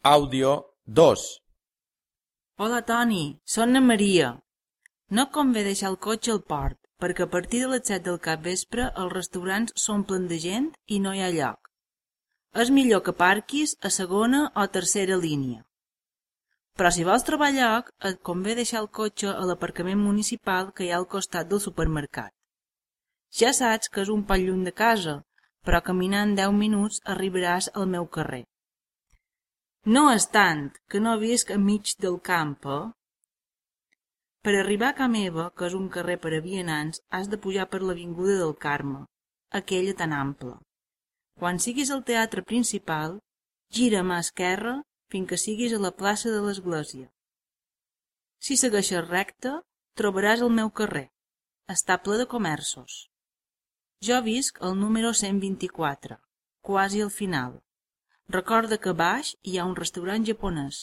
Àudio 2. Hola, Toni, soc na Maria. No et convé deixar el cotxe al port, perquè a partir de les 7 del capvespre els restaurants s'omplen de gent i no hi ha lloc. És millor que parquis a segona o tercera línia. Però si vols trobar lloc, et convé deixar el cotxe a l'aparcament municipal que hi ha al costat del supermercat. Ja saps que és un poc lluny de casa, però caminant 10 minuts arribaràs al meu carrer. No és tant, que no visc enmig del camp, eh? Per arribar a ca meva, que és un carrer per a vianants, has de pujar per l'avinguda del Carme, aquella tan ampla. Quan siguis al teatre principal, gira a mà esquerra fins que siguis a la plaça de l'Església. Si segueixes recte, trobaràs el meu carrer. Està ple de comerços. Jo visc al número 124, quasi al final. Recorda que a baix hi ha un restaurant japonès.